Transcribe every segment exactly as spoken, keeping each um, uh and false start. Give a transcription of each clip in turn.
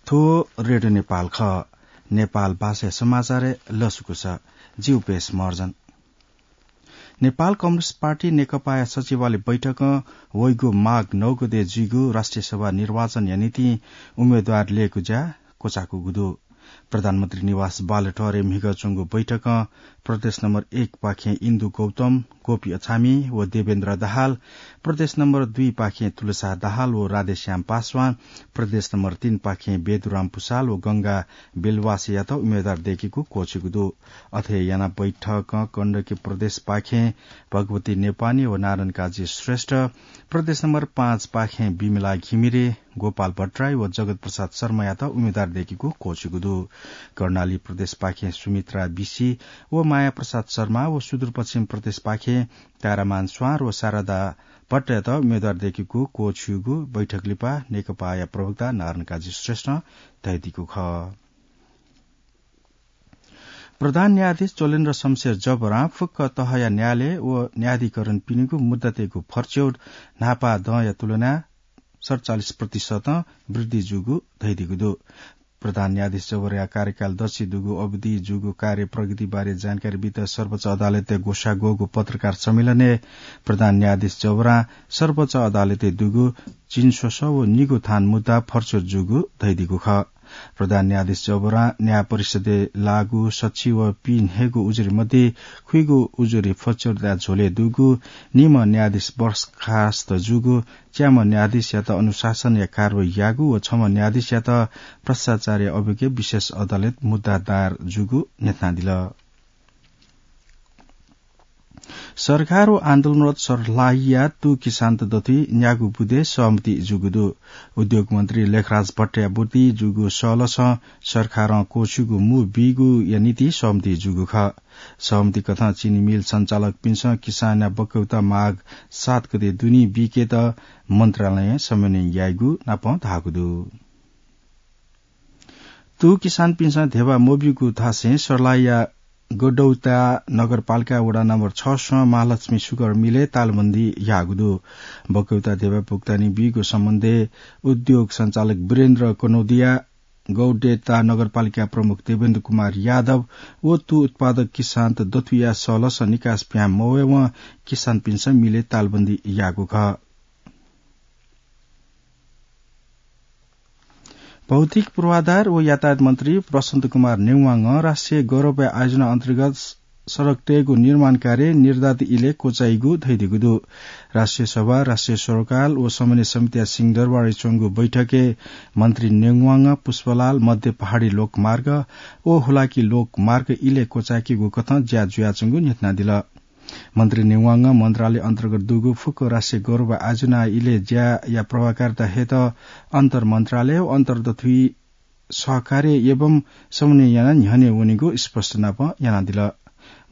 थ्व रेडियो नेपाल खः। नेपाल भाषाया समाचारय् लसकुस। जि उपेश महर्जन। नेपाल कम्युनिस्ट पार्टी नेकपाया सचिवालय बैठकं वइगु माघ नौ गते जुइगु राष्ट्रिय सभा निर्वाचनया निंतिं उम्मेदवार ल्ययेगु ज्या क्वचाकूगु दु। प्रधानमन्त्री निवास बालुवाटारय् म्हिगः च्वंगु बैठकं प्रदेश नम्बर एक पाखें इन्दु गौतम, गोपी अछामी व देवेन्द्र दाहाल, प्रदेश नम्बर दुई पाखें तुलसा दाहाल व राधेश्याम पासवान, प्रदेश नम्बर तीन पाखें बेदुराम पुसाल व गंगा बेलवासेयात उम्मेदवार दयेकेगु क्वःछिगु दु। अथे यानाः बैठकं गण्डकी प्रदेश पाखें भगवती नेपानी व नारायण काजी श्रेष्ठ, प्रदेश नम्बर पाँच पाखें विमला घिमिरे, गोपाल भट्टराई व जगत प्रसाद शर्मायात उम्मेदवार दयेकेगु क्वःछिगु दु। कर्णाली प्रदेश पाखें सुमित्रा बिसी व माया प्रसाद शर्मा व सुदूरपश्चिम प्रदेश पाखें तारामान स्वां व शारदा भट्टयात उम्मेदवार दयेकेगु क्वःछिगु बैठक लिपा नेकपाया प्रवक्ता नारायण काजी श्रेष्ठं धयादीगु खः। प्रधान न्यायाधीश चोलेन्द्र शमशेर जबरां फुक्क तहया न्यायालय व न्यायाधिकरणपिनिगु मुद्दा तयेगु फर्च्यौट न्हापा दँया तुलनाय् सतचालिस प्रतिशतं वृद्धि जूगु धयादीगु दु। प्रधान न्यायाधीश जबरया कार्यकाल दच्छि दुगु अवधि जूगु कार्य प्रगति बारे जानकारी बीत सर्वोच्च अदालतय् ग्वसाः ग्वःगु पत्रकार सम्मेलनय् प्रधान न्यायाधीश जबरां सर्वोच्च अदालतय् दुगु झिंस्वसः व निगू थान मुद्दा फर्च्यौट जूगु धयादीगु खः। प्रधान न्यायाधीश जबरां न्याय परिषदय् लाःगु सच्छि व पीन्हय्गू उजुरी मध्ये खुइगू उजुरी फर्च्यौटया झ्वलय् दुगु निम्ह न्यायाधीश बर्खास्त जूगु, च्याम्ह न्यायाधीशयात अनुशासनया कारवाही याःगु व छम्ह न्यायाधीशयात भ्रष्टाचारया अभियोगय् विशेष अदालतय् मुद्दा दायर जूगु न्ह्यथनादिल। सरकार व आन्दोलनरत सर्लाहीया तू किसानत दथुइ न्यागू बुँदे सहमति जूगु दु। उद्योग मन्त्री लेखराज भट्टया बुँदे जूगु सःलसं सरकारं क्वःछिउगु मू बीगुया निंतिं सहमति जूगु खः। सहमति कथं चिनी मिल सञ्चालकपिन्सं किसानया बकौता माघ सात गते दुने बीकेत मन्त्रालयं समन्वय याइगु नापं धाःगु दु। तू किसानपिन्सं धेबा मब्यूगु धासें सर्लाहीया गडौता नगरपालिका वडा नम्बर छ सं महालक्ष्मी सुगर मिलय् तालबन्दी याःगु दु। बकौता धेबा भुक्तानी बीगु सम्बन्धय् उद्योग सञ्चालक वीरेन्द्र कनौदिया, गौडेता नगरपालिका प्रमुख देवेन्द्र कुमार यादव व तू उत्पादक किसानत दथुइया सःलसं निकास पिहां मवयेवं किसानपिन्सं मिलय् तालबन्दी याःगु खः। भौतिक पूर्वाधार व यातायात मन्त्री बसन्त कुमार नेवांगं राष्ट्रिय गौरवया आयोजना अन्तर्गत सडक तयेगु निर्माण कार्य निर्धारित इलय् क्वचाइगु धयादीगु दु। राष्ट्रिय सभा, राष्ट्रिय सरोकार व समन्वय समितिया सिंहदरबारय् च्वंगु बैठकय् मन्त्री नेवांगं पुष्पलाल मध्य पहाडी लोकमार्ग व हुलाकी लोकमार्ग इलय् क्वचायेकेगु कथं ज्या जुयाच्वंगु न्ह्यथनादिल। मन्त्री नेवांगं मन्त्रालय अन्तर्गत दुगु फुक्क राष्ट्रिय गौरव आयोजना इलय् ज्याया प्रभावकारिता हयेत अन्तर मन्त्रालय व अन्तर दथुइ सहकार्य एवं समन्वय यानाः न्ह्यःने वनेगु स्पष्ट नापं यानादिल।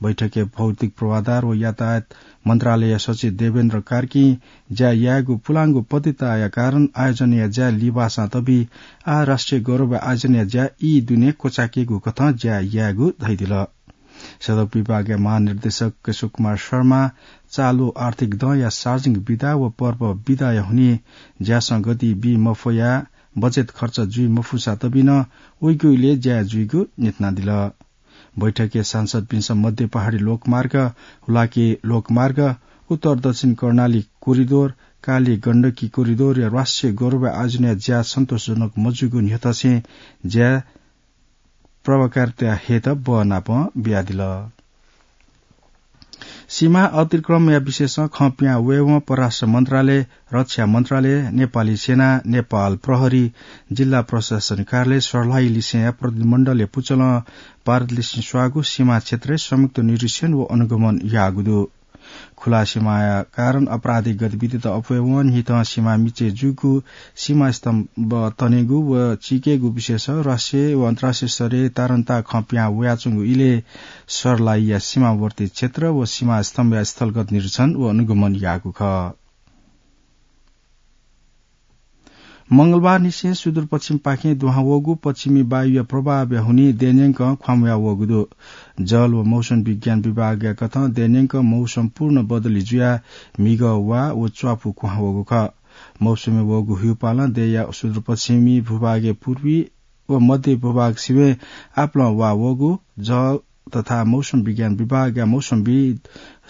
बैठकय् भौतिक पूर्वाधार व यातायात मन्त्रालयया सचिव देवेन्द्र कार्कीं ज्या यायेगु पुलांगु पतिताया कारण आयोजनाया ज्या लिबासां तबी आः राष्ट्रिय गौरव आयोजनाया ज्या ई दुने क्वचायेकेगु कथं ज्या यायेगु धयादिल। सडक विभागया महानिर्देशक केशव कुमार शर्मा चालु आर्थिक दँया सार्वजनिक बिदा व पर्व बिदाया हुनिं ज्यासं गति बी मफया बजेट खर्च जुइ मफुसा तबि नं उइगु इलय् ज्या जुइगु न्ह्यथनादिल। बैठकय् सांसदपिन्सं मध्य पहाडी लोकमार्ग, हुलाकी लोकमार्ग, उत्तर दक्षिण कर्णाली कोरिडोर, काली गण्डकी कोरिडोरया राष्ट्रिय गौरव आयोजनाया ज्या सन्तोषजनक मजूगु न्ह्यथंसें ज्या प्रभावकारिता हयेत बहनापं बियादिल। सीमा अतिक्रमणया विषयसं खँ पिहां वयेवं परराष्ट्र मन्त्रालय, रक्षा मन्त्रालय, नेपाली सेना, नेपाल प्रहरी, जिल्ला प्रशासन कार्यालय सर्लाही लिसेंया प्रतिनिधिमण्डलया पुचलं भारत लिसें स्वाःगु सीमा क्षेत्रय् संयुक्त निरीक्षण व अनुगमन याःगु दु। खुला सीमाया कारण आपराधिक गतिविधित अप्वयेवं न्हिथं सीमा मिचय् जूगु सीमा स्तम्भ तनेगु व चीकेगु विषयसं राष्ट्रिय व अन्तर्राष्ट्रिय स्तरय् तारन्ता खँ पिहां वयाच्वंगु इलय् सर्लाहीया सीमावर्ती क्षेत्र व सीमा स्तम्भया स्थलगत निरीक्षण व अनुगमन याःगु खः। मंगलबारनिसें सुदूरपश्चिमपाखें दुहां वःगु पश्चिमी वायुया प्रभावया हुनिं देय्‌न्यंकं ख्वाउँया वःगु दु। जल व मौसम विज्ञान विभागया कथं देय्‌न्यंकं मौसम पूर्ण बदली जुयाः म्हिगः वा व च्वापु कुहां वःगु खः। मौसमय् वःगु ह्यूपालं देय्‌या सुदूरपश्चिमी भूभागय् पूर्वी व मध्य भूभाग सिबें आपालं वा वःगु जल तथा मौसम विज्ञान विभागया मौसमविद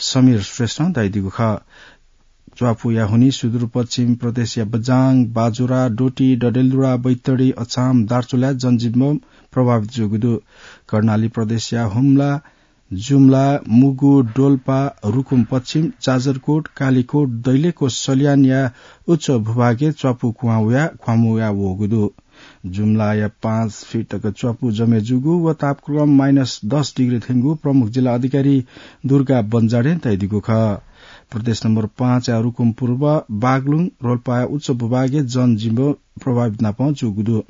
समीर श्रेष्ठं धयादीगु खः। च्वापुया हुनिं सुदूरपश्चिम प्रदेशया बझाङ, बाजुरा, डोटी, डडेलधुरा, बैतडी, अछाम, दार्चुलाय् जनजीवन प्रभावित जूगु दु। कर्णाली प्रदेशया हुम्ला, जुम्ला, मुगु, डोल्पा, रुकुम पश्चिम, जाजरकोट, कालीकोट, दैलेख व सल्यानया उच्च भूभागय् च्वापु कुहां वयाः ख्वामु वयाः वःगु दु। जुम्लाया पाँच फिट तक च्वापु जमे जूगु व तापक्रम माइनस दस डिग्री थ्यंगु प्रमुख जिल्ला अधिकारी दुर्गा बन्जाडें धयादीगु खः। प्रदेश नम्बर पाँचया रुकुम पूर्व, बागलुङ, रोल्पाया उच्च भूभागय् जनजीवन प्रभावित नापं जूगु दु।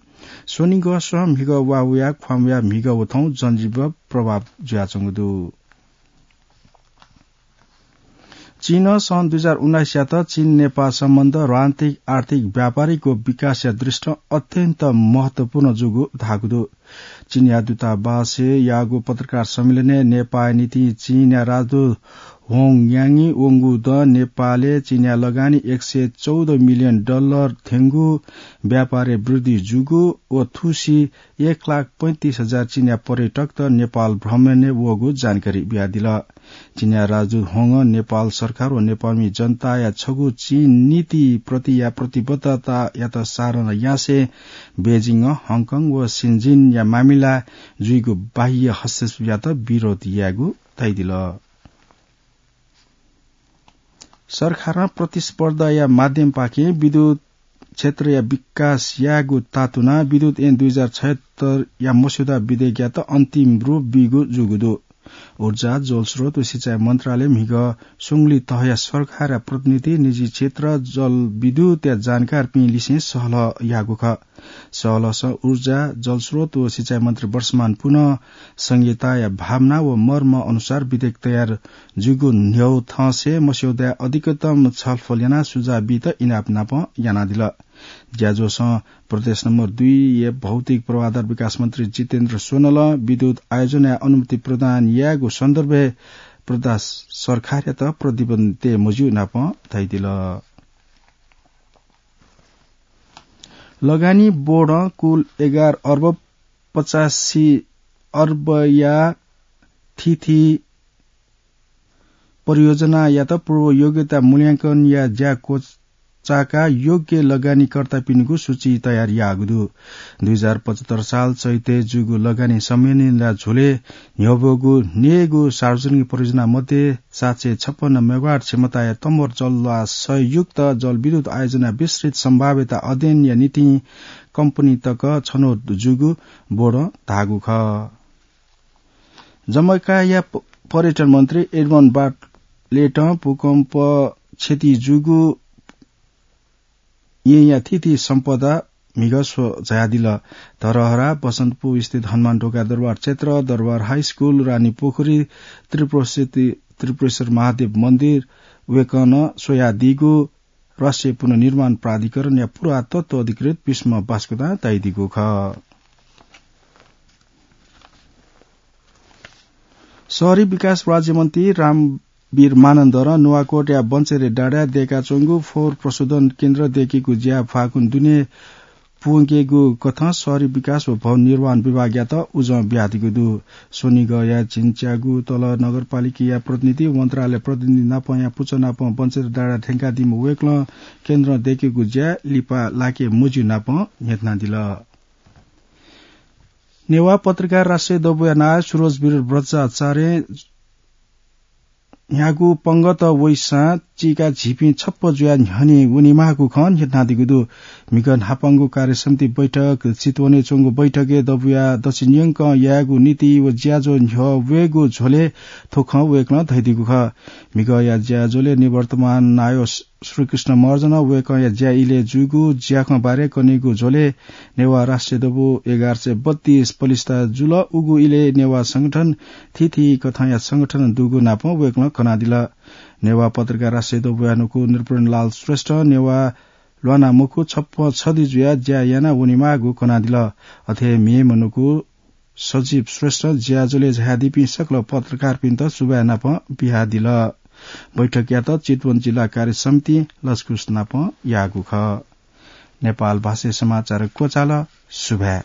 स्वनिगःसं म्हिगः वा वयाः ख्वामु वयाः म्हिगः व थौं जनजीवन प्रभाव जुयाच्वंगु दु। चीनं सन् दुई हजार उन्नाइसयात चीन नेपाल सम्बन्ध रणनीतिक, आर्थिक, व्यापारिक व विकासया दृष्टिं अत्यन्त महत्वपूर्ण जूगु धाःगु दु। चीनया दूतावासय् याःगु पत्रकार सम्मेलनय् नेपाःया निंतिं चीनया राजदूत होङ याङय् वंगु दँ नेपालय् चीनया लगानी एक सय चौध मिलियन डलर थ्यंगु, व्यापारय् वृद्धि जूगु व थुसी एक लाख पैंतिस हजार चीनया पर्यटकत नेपाल भ्रमणय् वःगु जानकारी बियादिल। चीनया राजदूत होङं नेपाल सरकार व नेपालमि जनताया छगू चीन नीति प्रतिया प्रतिबद्धतायात साराना यासें बेजिङं हङकङ व सिन्जिनया मामिला जुइगु बाह्य हस्तक्षेपयात विरोध यायेगु धयादिल। सरकारं प्रतिस्पर्धाया माध्यमपाखें विद्युत क्षेत्रया विकास यायेगु तातुनाः विद्युत ऐन दुई हजार छयत्तरया मस्यौदा विधेयकयात अन्तिम रूप बीगु जूगु दु। ऊर्जा, जलस्रोत व सिँचाइ मन्त्रालय म्हिगः सुंगुलिं तहया सरकारया प्रतिनिधि, निजी क्षेत्र, जलविद्युतया जानकारपिं लिसें सहलह याःगु खः। सहलहसं ऊर्जा, जलस्रोत व सिँचाइ मन्त्री वर्षमान पुनः संघीयताया भावना व मर्म अनुसार विधेयक तयार जूगु न्ह्यः थःसे मस्यौदाय् अधिकतम छलफल यानाः सुझाव बीत इनाप नापं यानादिल। ज्याझ्वलय् प्रदेश नम्बर दुईया भौतिक पूर्वाधार विकास मन्त्री जितेन्द्र स्वनलं विद्युत आयोजनाया अनुमति प्रदान यायेगु सन्दर्भय् प्रदेश सरकारयात प्रतिबद्धता मज्यू नापं धयादिल। लगानी बोर्डं कुल एघार अर्ब पचासी अर्बया थीथी परियोजनायात पूर्व योग्यता मूल्यांकनया ज्या क्वचाकाः योग्य लगानीकर्तापिनिगु सूची तयार याःगु दु। दुई हजार पचहत्तर साल चैतय् जूगु लगानी सम्मेलनया झ्वलय् न्ह्यब्वःगु न्यय्गू सार्वजनिक परियोजना मध्ये सात सय छप्पन्न मेगावाट क्षमताया तम्बर जलवासयुक्त जलविद्युत आयोजना विस्तृत सम्भाव्यता अध्ययनया निंतिं कम्पनी तक छनौट जूगु बोर्डं धाःगु खः। जमैकाया प-, पर्यटन मन्त्री एडमन्ड बार्टलेटं भूकम्प क्षति जूगु येँया थीथी सम्पदा म्हिगः स्वझ्वयादिल। धरहरा, बसन्तपुर स्थित हनुमान ढोका दरबार क्षेत्र, दरबार हाई स्कुल, रानी पोखरी, त्रिपुरेश्वर, त्रिपुरेश्वर महादेव मन्दिर वय्कलं स्वयादीगु राष्ट्रिय पुनर्निर्माण प्राधिकरणया पुरातत्व अधिकृत भीष्म बास्कोटां धयादीगु खः। शहरी विकास राज्यमन्त्री रामवीर मानन्धरं नुवाकोटया बन्चेरे डाँडाय् दयेकाच्वंगु फोहोर प्रशोधन केन्द्र दयेकेगु ज्या फागुन दुने पूवंकेगु कथं शहरी विकास व भवन निर्माण विभागयात उजं बियादीगु दु। स्वनिगःया झिंच्यागु तल नगरपालिकाया प्रतिनिधि, मन्त्रालय प्रतिनिधि नापंया पुचः नापं बन्चेरे डाँडाय् थ्यंकादीम्ह वय्कलं केन्द्रं दयेकेगु ज्या लिपा लाके मज्यू नापं न्ह्यथनादिल। नेवाः पत्रकार राष्ट्रिय दबूया नायः सुरज विरोध बज्राचार्यं न्ह्यागु पंगत वइसां चीका झीपिं छप्प जुयाः न्ह्यःने वनेमाःगु खँ न्ह्यथनादीगु दु। म्हिगः न्हापांगु कार्यसमिति बैठक चितवनय् च्वंगु बैठकय् दबूया दच्छि न्यंकं यायेगु नीति व ज्याझ्वः न्ह्यः वयेगु झ्वलय् थ्व खँ वय्कलं धयादीगु खः। म्हिगःया ज्याझ्वलय् निवर्तमान नायः श्रीकृष्ण महर्जनं वय्कःया ज्या इलय् जूगु ज्याखँ बारे कनेगु झ्वलय् नेवाः राष्ट्रिय दबू एघार सय बत्तीस पलिस्था जुल। उगु इलय् नेवाः संगठन थीथी कथंया संगठन दुगु नापं वय्कलं कनादिल। नेवाः पत्रकार राष्ट्रिय दबूया नुगः नृपेन्द्रलाल श्रेष्ठ नेवाः ल्वाना मखु छप्प छधि जुयाः ज्या याना वनेमाःगु कनादिल। अथे हे मेम्ह नुगः सजीव श्रेष्ठ ज्याझ्वलय् झायादीपिं सकल पत्रकारपिन्त सुभाय् नापं बियादिल। बैठकयात चितवन जिल्ला कार्य समितिं लसकुस नापं याःगु खः। नेपाल भाषाय् समाचार क्वचाल। सुभाय्।